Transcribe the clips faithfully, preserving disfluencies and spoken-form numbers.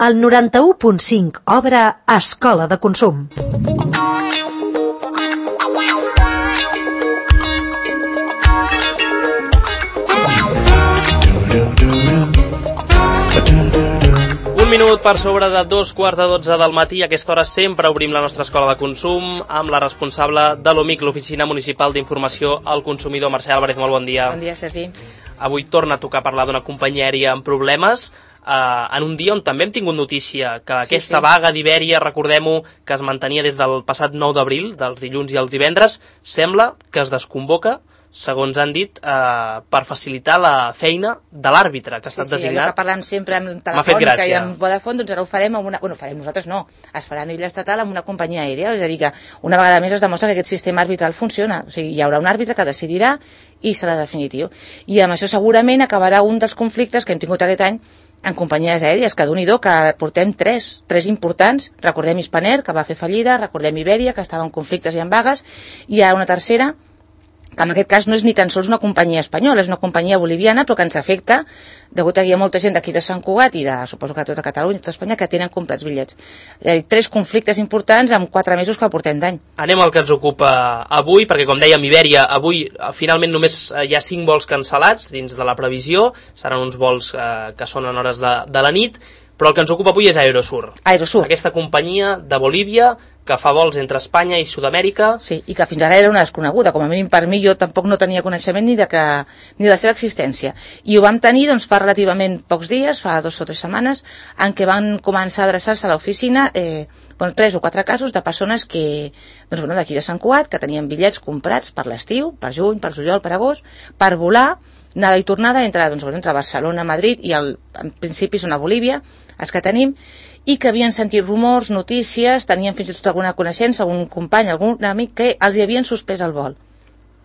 El noranta-u punt cinc obre Escola de Consum. Un minut per sobre de dos quarts de dotze del matí. A aquesta hora sempre obrim la nostra escola de consum amb la responsable de l'O M I C, l'Oficina Municipal d'Informació al Consumidor. Mercè Álvarez, molt bon dia. Bon dia, Ceci. Avui torna a tocar parlar d'una companyia aèria amb problemes, eh, en un dia on també hem tingut notícia que aquesta sí, sí. vaga d'Ibèria, recordem-ho, que es mantenia des del passat nou d'abril, dels dilluns i els divendres, sembla que es desconvoca, segons han dit, eh, per facilitar la feina de l'àrbitre que ha estat sí, sí, designat. Allò que parlem sempre amb Telefònica i amb Vodafone, doncs ara ho farem amb una... Bueno, farem nosaltres no, es farà a nivell estatal amb una companyia aèria, és a dir que una vegada més es demostra que aquest sistema arbitral funciona, o sigui, hi haurà un àrbitre que decidirà i serà definitiu. I amb això segurament acabarà un dels conflictes que hem tingut aquest any en companyies aèries, que d'un-i-do, que portem tres, tres importants, recordem Spanair, que va fer fallida, recordem Ibèria, que estava en conflictes i en vagues, i hi ha una tercera, que en aquest cas no és ni tan sols una companyia espanyola, és una companyia boliviana, però que ens afecta, degut a que hi ha molta gent d'aquí de Sant Cugat i de, suposo que tota Catalunya i tota Espanya, que tenen comprats bitllets. És a dir, tres conflictes importants en quatre mesos que portem d'any. Anem al que ens ocupa avui, perquè com dèiem, Ibèria, avui finalment només hi ha cinc vols cancel·lats dins de la previsió, seran uns vols eh, que són en hores de, de la nit, però el que ens ocupa avui és Aerosur. Aerosur. Aquesta companyia de Bolívia que fa vols entre Espanya i Sud-amèrica. Sí, i que fins ara era una desconeguda, com a mínim per mi, jo tampoc no tenia coneixement ni de, que, ni de la seva existència. I ho vam tenir doncs, fa relativament pocs dies, fa dos o tres setmanes, en què van començar a adreçar-se a l'oficina eh, bueno, tres o quatre casos de persones que, doncs, bueno, d'aquí de Sant Cugat, que tenien bitllets comprats per l'estiu, per juny, per juliol, per agost, per volar, anada i tornada entre, doncs, bueno, entre Barcelona, Madrid i el, en principi són a Bolívia, els que tenim, i que havien sentit rumors, notícies, tenien fins i tot alguna coneixença, algun company, algun amic, que els hi havien suspès el vol.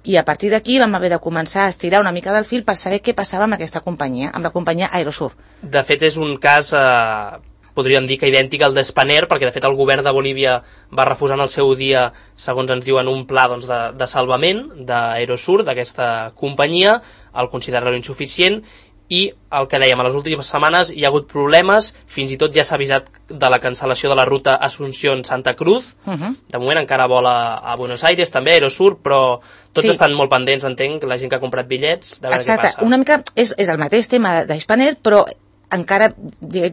I a partir d'aquí vam haver de començar a estirar una mica del fil per saber què passava amb aquesta companyia, amb la companyia Aerosur. De fet, és un cas, eh, podríem dir que idèntic al d'Spanair, perquè de fet el govern de Bolívia va refusar en el seu dia, segons ens diuen, un pla doncs, de, de salvament d'Aerosur, d'aquesta companyia, el considerar-lo insuficient, i el que dèiem, a les últimes setmanes hi ha hagut problemes, fins i tot ja s'ha avisat de la cancel·lació de la ruta Asunción-Santa Cruz, uh -huh. De moment encara vola a Buenos Aires, també Aerosur, però tots sí. estan molt pendents, entenc, la gent que ha comprat bitllets, de veure Exacte. què passa. Una mica és, és el mateix tema d'Spanair, però encara,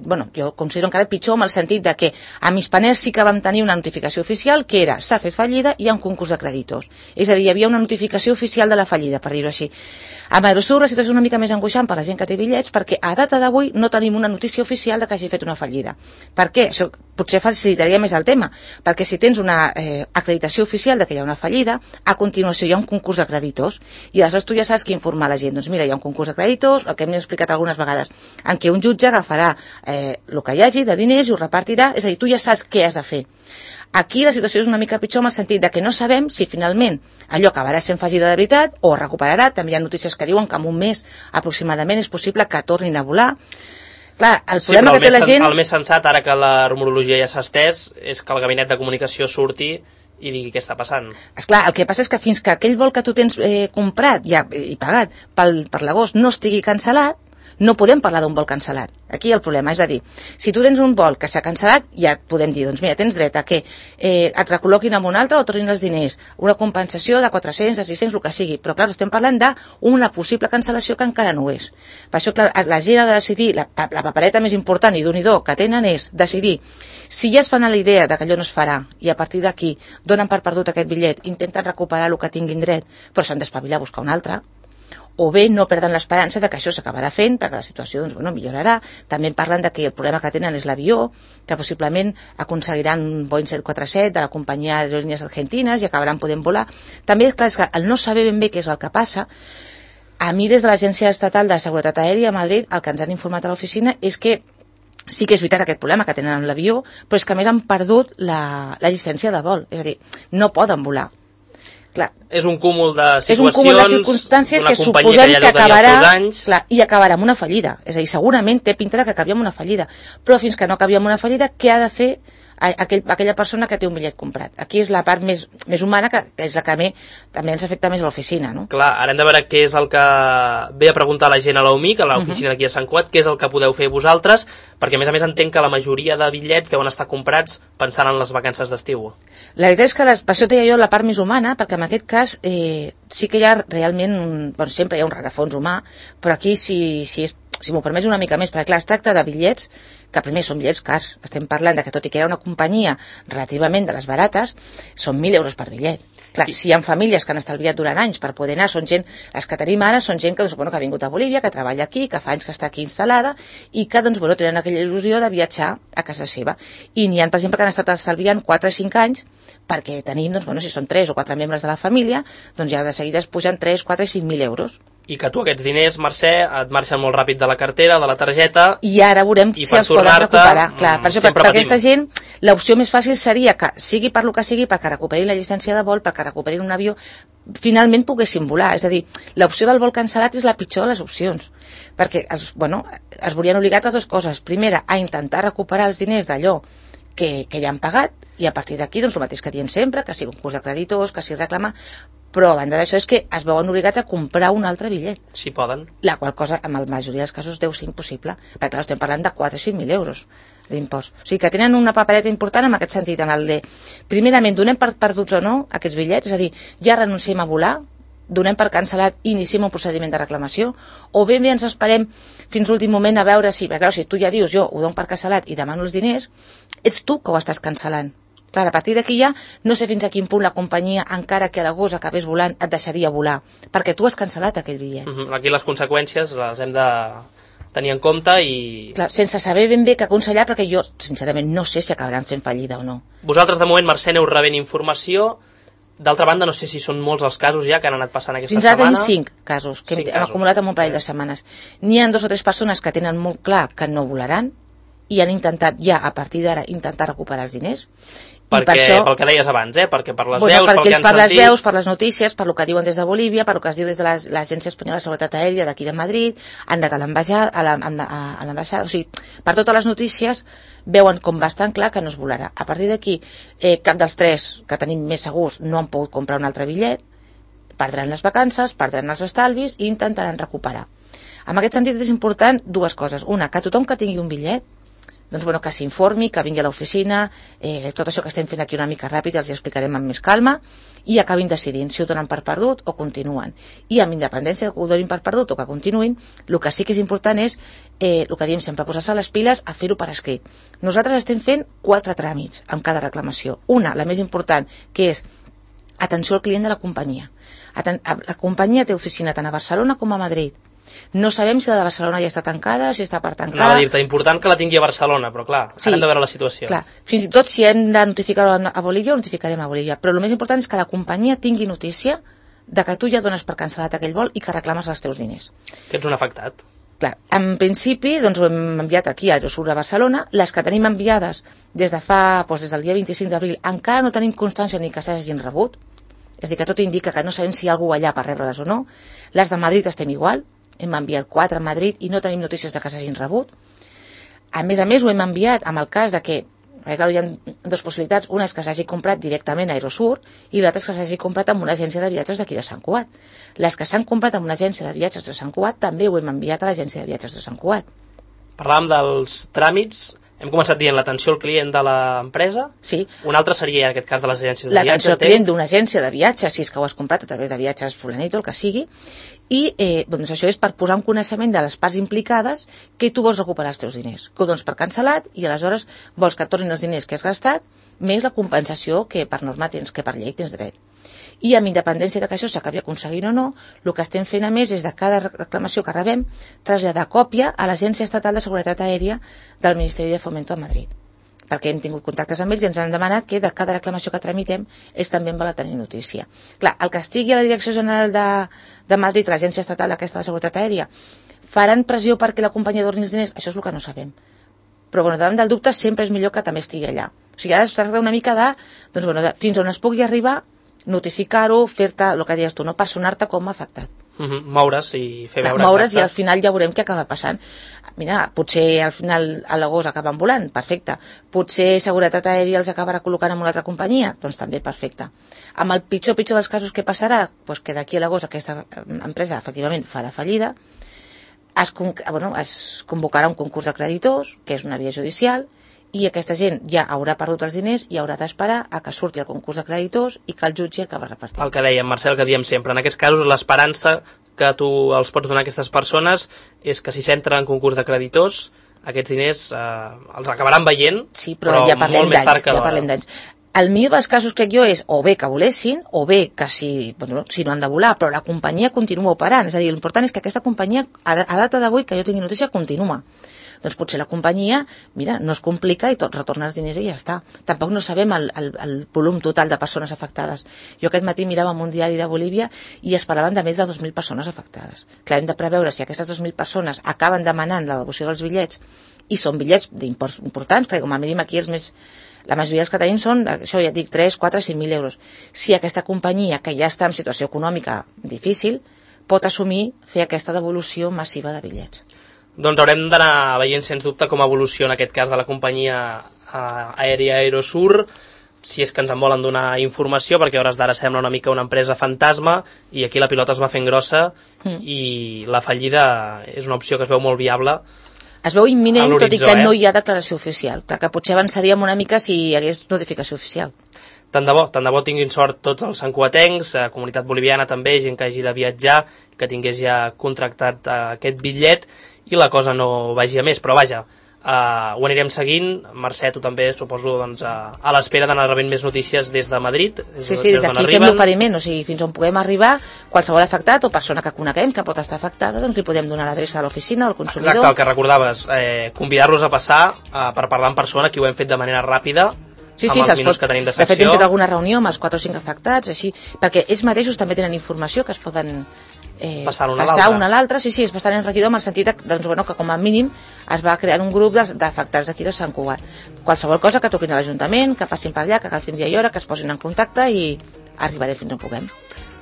bueno, jo considero encara pitjor en el sentit de que amb Spanair sí que vam tenir una notificació oficial que era s'ha fet fallida i hi ha un concurs de creditors. És a dir, hi havia una notificació oficial de la fallida, per dir-ho així. Amb Aerosur la situació és una mica més angoixant per la gent que té bitllets perquè a data d'avui no tenim una notícia oficial de que hagi fet una fallida. Per què? Això potser facilitaria més el tema, perquè si tens una eh, acreditació oficial de que hi ha una fallida, a continuació hi ha un concurs de creditors i aleshores tu ja saps què informar la gent. Doncs mira, hi ha un concurs de creditors, el que hem explicat algunes vegades, en què un jutge agafarà eh, el que hi hagi de diners i ho repartirà, és a dir, tu ja saps què has de fer. Aquí la situació és una mica pitjor en el sentit de que no sabem si finalment allò acabarà sent fallida de veritat o es recuperarà. També hi ha notícies que diuen que en un mes aproximadament és possible que tornin a volar. Clar, el sí, problema el que té la gent... El més sensat, ara que la rumorologia ja s'ha estès, és que el gabinet de comunicació surti i digui què està passant. Esclar, el que passa és que fins que aquell vol que tu tens eh, comprat ja, i pagat pel, per l'agost no estigui cancel·lat, no podem parlar d'un vol cancel·lat. Aquí el problema, és a dir, si tu tens un vol que s'ha cancel·lat, ja podem dir, doncs mira, tens dret a que eh, et recol·loquin amb un altre o tornin els diners, una compensació de quatre-cents, de sis-cents, el que sigui, però clar, estem parlant d'una possible cancel·lació que encara no ho és. Per això, clar, la gent ha de decidir, la, la papereta més important i d'un-i-do que tenen és decidir si ja es fan a la idea de que allò no es farà i a partir d'aquí donen per perdut aquest bitllet, intenten recuperar el que tinguin dret, però s'han d'espavilar a buscar un altre, o bé no perden l'esperança de que això s'acabarà fent perquè la situació doncs, bueno, millorarà. També parlen de que el problema que tenen és l'avió, que possiblement aconseguiran un Boeing set quaranta-set de la companyia Aerolíneas Argentinas i acabaran podent volar. També, clar, és que el no saber ben bé què és el que passa, a mi des de l'Agència Estatal de Seguretat Aèria a Madrid el que ens han informat a l'oficina és que sí que és veritat aquest problema que tenen amb l'avió, però és que a més han perdut la, la llicència de vol, és a dir, no poden volar. Clar, és un cúmul de situacions, és un cúmul de circumstàncies que suposem que, que acabarà clar, i acabarà amb una fallida. És a dir, segurament té pinta de que acabi amb una fallida, però fins que no acabi amb una fallida, què ha de fer aquell, aquella persona que té un bitllet comprat. Aquí és la part més, més humana, que, que és la que a mi també ens afecta més a l'oficina, no? Clar, ara hem de veure què és el que ve a preguntar la gent a l'Umic, a l'oficina uh -huh. d'aquí a Sant Cugat, què és el que podeu fer vosaltres, perquè a més a més entenc que la majoria de bitllets deuen estar comprats pensant en les vacances d'estiu. La veritat és que les, per això deia jo la part més humana, perquè en aquest cas eh, sí que hi ha realment, un, bueno, sempre hi ha un rerefons humà, però aquí si, si, és, si m'ho permets una mica més, perquè clar, es tracta de bitllets que primer són bitllets cars. Estem parlant de que tot i que era una companyia relativament de les barates, són mil euros per bitllet. Clar, si hi ha famílies que han estalviat durant anys per poder anar, són gent, les que tenim ara són gent que, doncs, bueno, que ha vingut a Bolívia, que treballa aquí, que fa anys que està aquí instal·lada i que doncs, bueno, tenen aquella il·lusió de viatjar a casa seva. I n'hi ha, per exemple, que han estat estalviant quatre o cinc anys perquè tenim, doncs, bueno, si són tres o quatre membres de la família, doncs ja de seguida es pugen tres, quatre i cinc mil euros. I que tu aquests diners, Mercè, et marxen molt ràpid de la cartera, de la targeta... I ara veurem si els poden recuperar. Clar, per això, per, per aquesta gent, l'opció més fàcil seria que, sigui per lo que sigui, perquè recuperin la llicència de vol, perquè recuperin un avió, finalment poguessin volar. És a dir, l'opció del vol cancel·lat és la pitjor de les opcions. Perquè, es, bueno, es veurien obligats a dues coses. Primera, a intentar recuperar els diners d'allò que, que ja han pagat, i a partir d'aquí, doncs, el mateix que diem sempre, que sigui un curs de creditors, que sigui reclamar, però a banda d'això és que es veuen obligats a comprar un altre bitllet. Si poden. La qual cosa, en la majoria dels casos, deu ser impossible, perquè clar, estem parlant de quatre o cinc mil euros d'impost. O sigui que tenen una papereta important en aquest sentit, en el de, primerament, donem per perduts o no aquests bitllets, és a dir, ja renunciem a volar, donem per cancel·lat i iniciem un procediment de reclamació, o ben bé ens esperem fins l'últim moment a veure si, perquè clar, si tu ja dius jo ho dono per cancel·lat i demano els diners, ets tu que ho estàs cancel·lant. Clar, a partir d'aquí ja no sé fins a quin punt la companyia, encara que a l'agost acabés volant, et deixaria volar, perquè tu has cancel·lat aquell bitllet. Uh-huh. Aquí les conseqüències les hem de tenir en compte i... Clar, sense saber ben bé què aconsellar, perquè jo, sincerament, no sé si acabaran fent fallida o no. Vosaltres, de moment, Mercè, aneu rebent informació. D'altra banda, no sé si són molts els casos ja que han anat passant aquesta Fins setmana. Fins ara tenim cinc casos, que cinc hem, casos. hem acumulat en un parell de setmanes. N'hi ha dos o tres persones que tenen molt clar que no volaran i han intentat ja, a partir d'ara, intentar recuperar els diners. Perquè, per això, pel que deies abans, eh? Perquè per les bueno, veus, pel que han per les sentit... veus, per les notícies, per el que diuen des de Bolívia, per el que es diu des de l'Agència Espanyola de Seguretat Aèria d'aquí de Madrid, han anat a l'ambaixada, a l'ambaixada, o sigui, per totes les notícies veuen com bastant clar que no es volarà. A partir d'aquí, eh, cap dels tres que tenim més segurs no han pogut comprar un altre bitllet, perdran les vacances, perdran els estalvis i intentaran recuperar. En aquest sentit és important dues coses. Una, que tothom que tingui un bitllet, doncs, bueno, que s'informi, que vingui a l'oficina, eh, tot això que estem fent aquí una mica ràpid els hi explicarem amb més calma i acabin decidint si ho donen per perdut o continuen. I amb independència de que ho donin per perdut o que continuïn, el que sí que és important és, eh, el que diem sempre, posar-se les piles a fer-ho per escrit. Nosaltres estem fent quatre tràmits amb cada reclamació. Una, la més important, que és atenció al client de la companyia. Aten- la companyia té oficina tant a Barcelona com a Madrid. No sabem si la de Barcelona ja està tancada, si està per tancar... Anava a dir-te, important que la tingui a Barcelona, però clar, sí, ara hem de veure la situació. Clar, fins i tot si hem de notificar-ho a Bolívia, ho notificarem a Bolívia, però el més important és que la companyia tingui notícia de que tu ja dones per cancel·lat aquell vol i que reclames els teus diners. Que ets un afectat. Clar, en principi, doncs ho hem enviat aquí a Aerosur a Barcelona, les que tenim enviades des de fa, doncs des del dia vint-i-cinc d'abril, encara no tenim constància ni que s'hagin rebut, és a dir, que tot indica que no sabem si hi ha algú allà per rebre-les o no. Les de Madrid estem igual, hem enviat quatre a Madrid i no tenim notícies de que s'hagin rebut. A més a més, ho hem enviat amb el cas de que, perquè clar, hi ha dues possibilitats, una és que s'hagi comprat directament a Aerosur i l'altra és que s'hagi comprat amb una agència de viatges d'aquí de Sant Cugat. Les que s'han comprat amb una agència de viatges de Sant Cugat també ho hem enviat a l'agència de viatges de Sant Cugat. Parlàvem dels tràmits. Hem començat dient l'atenció al client de l'empresa. Sí. Un altre seria, en aquest cas, de les agències de viatges. L'atenció al client d'una agència de viatges, si és que ho has comprat a través de viatges fulanito, el que sigui. I eh, doncs això és per posar un coneixement de les parts implicades que tu vols recuperar els teus diners. Que ho dones per cancel·lat i aleshores vols que et tornin els diners que has gastat més la compensació que per norma tens, que per llei tens dret. I amb independència de que això s'acabi aconseguint o no, el que estem fent a més és de cada reclamació que rebem traslladar còpia a l'Agència Estatal de Seguretat Aèria del Ministeri de Fomento a Madrid, perquè hem tingut contactes amb ells i ens han demanat que de cada reclamació que tramitem ells també en volen tenir notícia. Clar, el que estigui a la Direcció General de, de Madrid, l'Agència Estatal aquesta de Seguretat Aèria, faran pressió perquè la companyia torni els diners? Això és el que no sabem. Però bueno, davant del dubte sempre és millor que també estigui allà. O sigui, ara es tracta una mica de, doncs, bueno, de fins on es pugui arribar, notificar-ho, fer-te, el que deies tu, no personar-te com a afectat. Uh-huh. Moure's i fer veure. Moure's i al final ja veurem què acaba passant. Mira, potser al final a l'agost acaben volant, perfecte. Potser Seguretat Aèria els acabarà col·locant en una altra companyia, doncs també perfecte. Amb el pitjor, pitjor dels casos que passarà, doncs que d'aquí a l'agost aquesta empresa efectivament farà fallida, es, bueno, es convocarà un concurs de creditors, que és una via judicial, i aquesta gent ja haurà perdut els diners i haurà d'esperar a que surti el concurs de creditors i que el jutge acabi repartint. El que dèiem, Marcel, que diem sempre, en aquests casos l'esperança que tu els pots donar a aquestes persones és que si s'entren en concurs de creditors, aquests diners eh, els acabaran veient, sí, però, però ja parlem molt més tard que ja parlem d'anys. El millor dels casos, crec jo, és o bé que volessin, o bé que si, bueno, si no han de volar, però la companyia continua operant. És a dir, l'important és que aquesta companyia, a data d'avui, que jo tingui notícia, continua. Doncs potser la companyia, mira, no es complica i tot retorna els diners i ja està. Tampoc no sabem el, el, el volum total de persones afectades. Jo aquest matí mirava en un diari de Bolívia i es parlaven de més de dos mil persones afectades. Clar, hem de preveure si aquestes dos mil persones acaben demanant la devolució dels bitllets i són bitllets d'imports importants, perquè com a mínim aquí els més... La majoria dels que tenim són, això ja et dic, tres, quatre, cinc mil euros. Si aquesta companyia, que ja està en situació econòmica difícil, pot assumir fer aquesta devolució massiva de bitllets. Doncs haurem d'anar veient, sens dubte, com evoluciona aquest cas de la companyia aèria Aerosur, si és que ens en volen donar informació, perquè a hores d'ara sembla una mica una empresa fantasma i aquí la pilota es va fent grossa mm. i la fallida és una opció que es veu molt viable. Es veu imminent, tot i que eh? no hi ha declaració oficial. Clar que potser avançaríem una mica si hi hagués notificació oficial. Tant de bo, tant de bo tinguin sort tots els santcugatencs, eh, comunitat boliviana també, gent que hagi de viatjar, que tingués ja contractat eh, aquest bitllet i la cosa no vagi a més, però vaja, eh, ho anirem seguint. Mercè, tu també, suposo, doncs, a, a l'espera d'anar rebent més notícies des de Madrid. Des, sí, sí, des d'aquí fem l'oferiment, o sigui, fins on puguem arribar, qualsevol afectat o persona que coneguem que pot estar afectada, doncs li podem donar l'adreça de l'oficina, del consumidor. Exacte, el que recordaves, eh, convidar-los a passar eh, per parlar en persona, que ho hem fet de manera ràpida, sí, sí, amb els minuts pot... que tenim de secció. De fet, hem fet alguna reunió amb els quatre o cinc afectats, així, perquè ells mateixos també tenen informació que es poden eh, passar una a l'altra. Sí, sí, és bastant enriquidor amb el sentit que, doncs, bueno, que com a mínim es va crear un grup d'afectats d'aquí de Sant Cugat. Qualsevol cosa que toquin a l'Ajuntament, que passin per allà, que agafin dia i hora, que es posin en contacte i arribaré fins on puguem.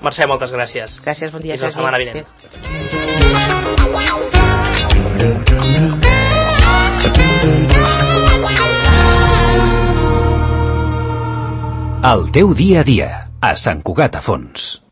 Mercè, moltes gràcies. Gràcies, bon dia. Fins la setmana vinent. El teu dia a dia, a Sant Cugat a Fons.